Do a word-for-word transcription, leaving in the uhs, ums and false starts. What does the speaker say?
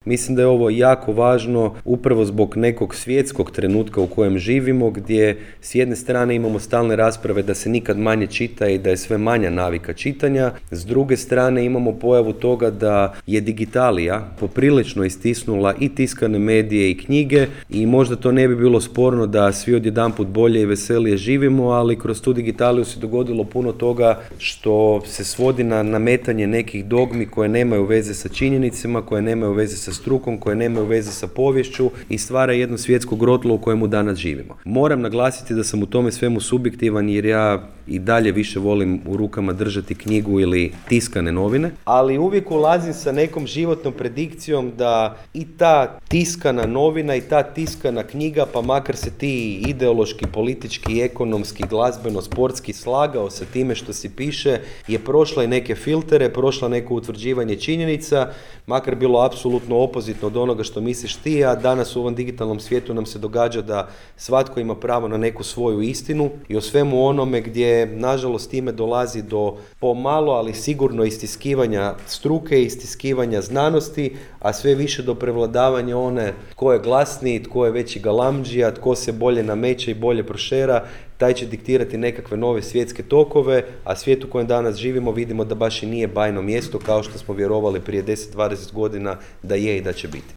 Mislim da je ovo jako važno upravo zbog nekog svjetskog trenutka u kojem živimo, gdje s jedne strane imamo stalne rasprave da se nikad manje čita i da je sve manja navika čitanja, s druge strane imamo pojavu toga da je digitalija poprilično istisnula i tiskane medije i knjige i možda to ne bi bilo sporno da svi odjedanput bolje i veselije živimo, ali kroz tu digitaliju se dogodilo puno toga što se svodi na nametanje nekih dogmi koje nemaju veze sa činjenicama, koje nemaju veze sa strukom, koje nemaju veze sa poviješću i stvara jedno svjetsko grotlo u kojemu danas živimo. Moram naglasiti da sam u tome svemu subjektivan jer ja i dalje više volim u rukama držati knjigu ili tiskane novine, ali uvijek ulazim sa nekom životnom predikcijom da i ta tiskana novina i ta tiskana knjiga, pa makar se ti ideološki, politički, ekonomski, glazbeno, sportski slagao sa time što si piše, je prošla i neke filtere, prošla neko utvrđivanje činjenica, makar bilo apsolutno opozitno od onoga što misliš ti, a danas u ovom digitalnom svijetu nam se događa da svatko ima pravo na neku svoju istinu i o svemu onome gdje nažalost time dolazi do pomalo, ali sigurno istiskivanja struke, istiskivanja znanosti, a sve više do prevladavanja one tko je glasniji, tko je veći galamdžija, tko se bolje nameće i bolje prošera, taj će diktirati nekakve nove svjetske tokove, a svijet u kojem danas živimo vidimo da baš i nije bajno mjesto kao što smo vjerovali prije deset do dvadeset godina da je i da će biti.